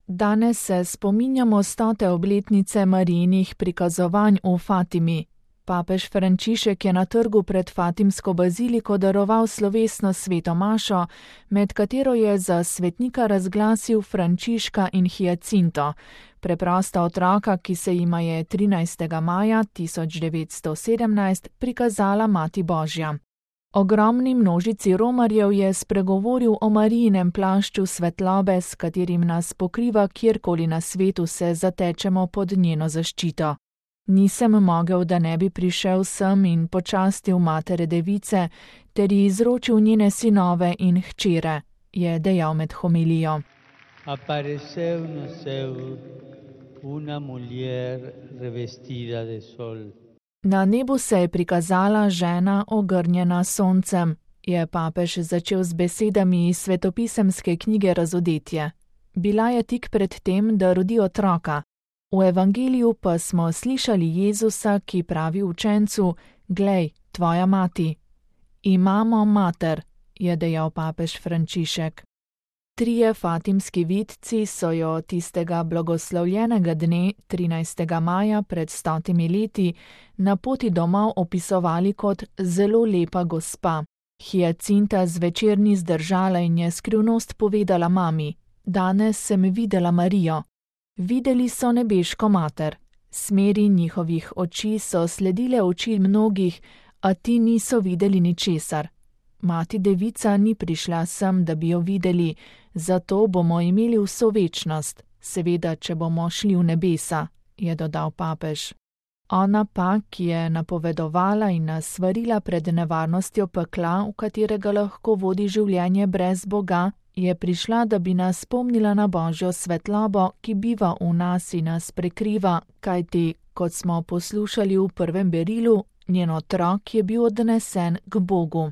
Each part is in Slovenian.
Danes se spominjamo 100. obletnice Marijinih prikazovanj v Fatimi. Papež Frančišek je na trgu pred Fatimsko baziliko daroval slovesno sveto mašo, med katero je za svetnika razglasil Frančiška in Hiacinto, preprosta otroka, ki se jima je 13. maja 1917 prikazala Mati Božja. Ogromni množici romarjev je spregovoril o Marijinem plašču svetlobe, s katerim nas pokriva kjerkoli na svetu se zatečemo pod njeno zaščito. Nisem mogel, da ne bi prišel sem in počastil matere device, ter ji izročil njene sinove in hčere, je dejal med homilijo. Apareceu no céu una mujer revestida de sol. Na nebu se je prikazala žena ogrnjena soncem, je papež začel z besedami iz svetopisemske knjige Razodetje. Bila je tik pred tem, da rodi otroka. V evangeliju pa smo slišali Jezusa, ki pravi učencu: "Glej, tvoja mati." Imamo mater, je dejal papež Frančišek. 3 fatimski vidci so jo tistega blagoslovljenega dne, 13. maja pred 100 leti, na poti domov opisovali kot zelo lepa gospa. Hiacinta zvečer ni zdržala in je skrivnost povedala mami: "Danes sem videla Marijo." Videli so nebeško mater. Smeri njihovih oči so sledile oči mnogih, a ti niso videli ničesar. Mati devica ni prišla sem, da bi jo videli, zato bomo imeli vso večnost, seveda, če bomo šli v nebesa, je dodal papež. Ona pa, ki je napovedovala in nas svarila pred nevarnostjo pekla, v katerega lahko vodi življenje brez Boga, je prišla, da bi nas spomnila na Božjo svetlobo, ki biva v nas in nas prekriva, kajti, kot smo poslušali v prvem berilu, njen otrok je bil odnesen k Bogu.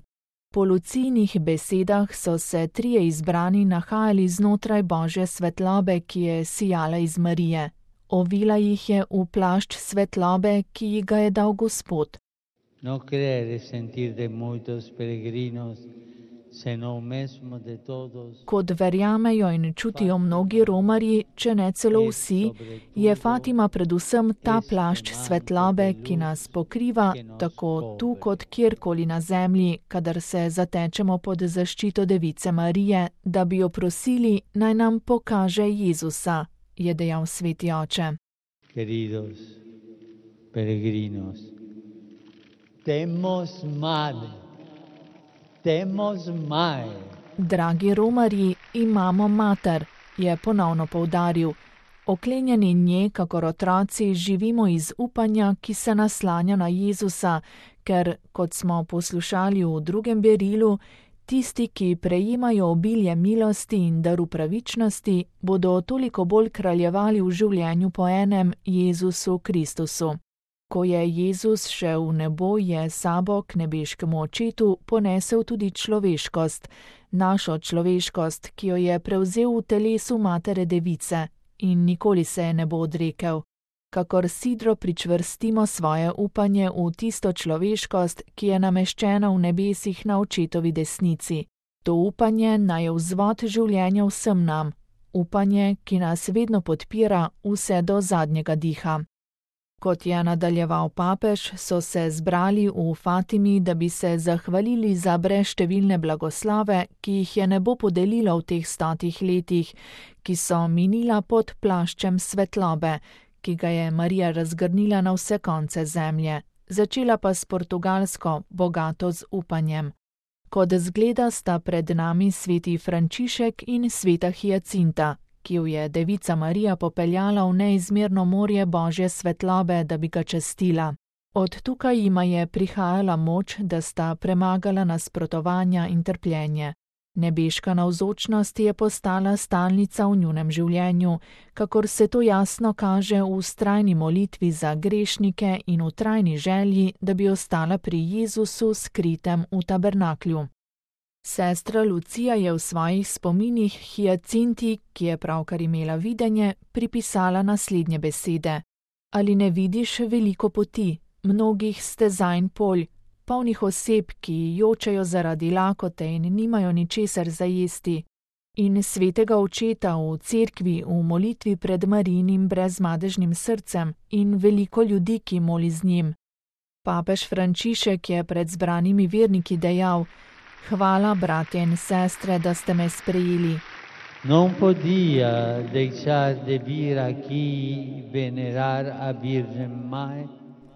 Po Lucijnih besedah so se 3 izbrani nahajali znotraj Božje svetlobe, ki je sijala iz Marije. Ovila jih je v plašč svetlobe, ki ji ga je dal Gospod. No creer sentir de muchos peregrinos, sino mesmo de todos. Kot verjamejo in čutijo mnogi romarji, če ne celo vsi, je Fatima predvsem ta plašč svetlobe, ki nas pokriva, tako tu kot kjerkoli na zemlji, kadar se zatečemo pod zaščito Device Marije, da bi jo prosili, naj nam pokaže Jezusa, je dejal sveti oče. Queridos peregrinos, temos madre. Temos madre. Dragi romarji, imamo mater, je ponovno poudaril. Oklenjeni nje, kakor otroci, živimo iz upanja, ki se naslanja na Jezusa, ker, kot smo poslušali v drugem berilu, tisti, ki prejemajo obilje milosti in daru pravičnosti, bodo toliko bolj kraljevali v življenju po enem Jezusu Kristusu. Ko je Jezus šel v nebo, je sabo k nebeškemu očetu ponesel tudi človeškost, našo človeškost, ki jo je prevzel v telesu matere device in nikoli se je ne bo odrekel. Kakor sidro pričvrstimo svoje upanje v tisto človeškost, ki je nameščena v nebesih na očetovi desnici. To upanje naj je vzvod življenja vsem nam, upanje, ki nas vedno podpira vse do zadnjega diha. Kot je nadaljeval papež, so se zbrali v Fatimi, da bi se zahvalili za brezštevilne blagoslove, ki jih je nebo podelilo v teh 100 letih, ki so minila pod plaščem svetlobe, ki ga je Marija razgrnila na vse konce zemlje, začela pa s Portugalsko, bogato z upanjem. Kot zgleda sta pred nami sveti Frančišek in sveta Hiacinta, ki jo je Devica Marija popeljala v neizmerno morje Božje svetlobe, da bi ga častila. Od tukaj jima je prihajala moč, da sta premagala nasprotovanja in trpljenje. Nebeška navzočnost je postala stalnica v njunem življenju, kakor se to jasno kaže v vztrajni molitvi za grešnike in v trajni želji, da bi ostala pri Jezusu skritem v tabernaklju. Sestra Lucija je v svojih spominih Hiacinti, ki je pravkar imela videnje, pripisala naslednje besede. Ali ne vidiš veliko poti, mnogih stezajn polj, polnih oseb, ki jočejo zaradi lakote in nimajo ničesar za jesti? in svetega očeta v cerkvi v molitvi pred Marijinim brezmadežnim srcem in veliko ljudi, ki moli z njim. Papež Frančišek je pred zbranimi verniki dejal: Hvala, bratje in sestre, da ste me sprejeli. Non podía dejar de vir aquí venerar a Virgen Maj.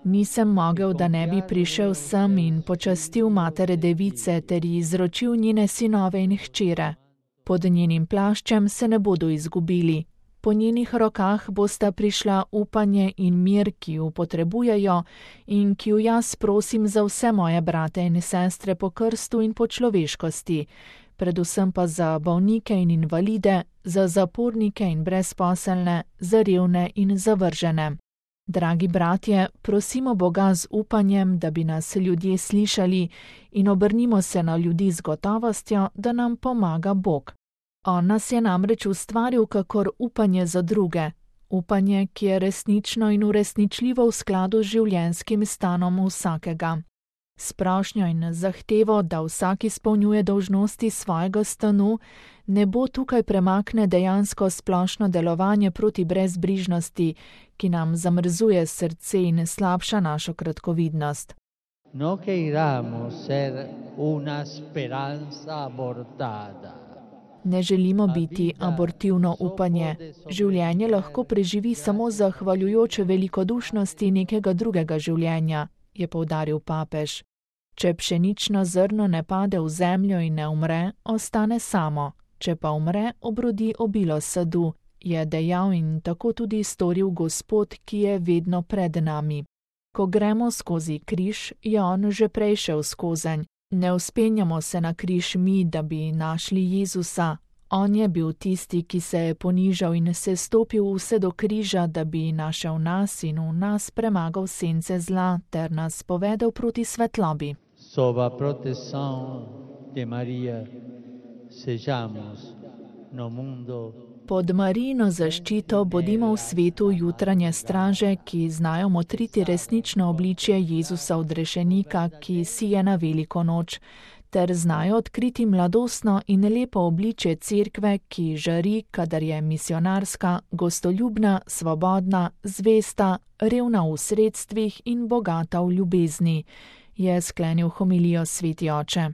Nisem mogel, da ne bi prišel sem in počastil matere device ter ji izročil njene sinove in hčere. Pod njenim plaščem se ne bodo izgubili. Po njenih rokah bosta prišla upanje in mir, ki ju potrebujejo in ki ju jaz prosim za vse moje brate in sestre po krstu in po človeškosti, predvsem pa za bolnike in invalide, za zapornike in brezposelne, za revne in zavržene. Dragi bratje, prosimo Boga z upanjem, da bi nas ljudje slišali in obrnimo se na ljudi z gotovostjo, da nam pomaga Bog. On nas je namreč ustvaril kakor upanje za druge, upanje, ki je resnično in uresničljivo v skladu z življenjskim stanom vsakega. S prošnjo in zahtevo, da vsak izpolnjuje dolžnosti svojega stanu, nebo tukaj premakne dejansko splošno delovanje proti brezbrižnosti, ki nam zamrzuje srce in slabša našo kratkovidnost. No queiramos ser una speranza abortada. Ne želimo biti abortivno upanje. Življenje lahko preživi samo zahvaljujoč velikodušnosti nekega drugega življenja, je poudaril papež. Če pšenično zrno ne pade v zemljo in ne umre, ostane samo. Če pa umre, obrodi obilo sadu, je dejal in tako tudi storil Gospod, ki je vedno pred nami. Ko gremo skozi križ, je on že prej šel skozenj. Ne vzpenjamo se na križ mi, da bi našli Jezusa. On je bil tisti, ki se je ponižal in se stopil vse do križa, da bi našel nas in v nas premagal sence zla ter nas povedel proti svetlobi. Sob a proteção de Maria, sejamos no mundo. Pod Marijino zaščito bodimo v svetu jutranje straže, ki znajo motriti resnično obličje Jezusa odrešenika, ki sije na veliko noč, ter znajo odkriti mladostno in lepo obličje cerkve, ki žari, kadar je misionarska, gostoljubna, svobodna, zvesta, revna v sredstvih in bogata v ljubezni, je sklenil homilijo sveti oče.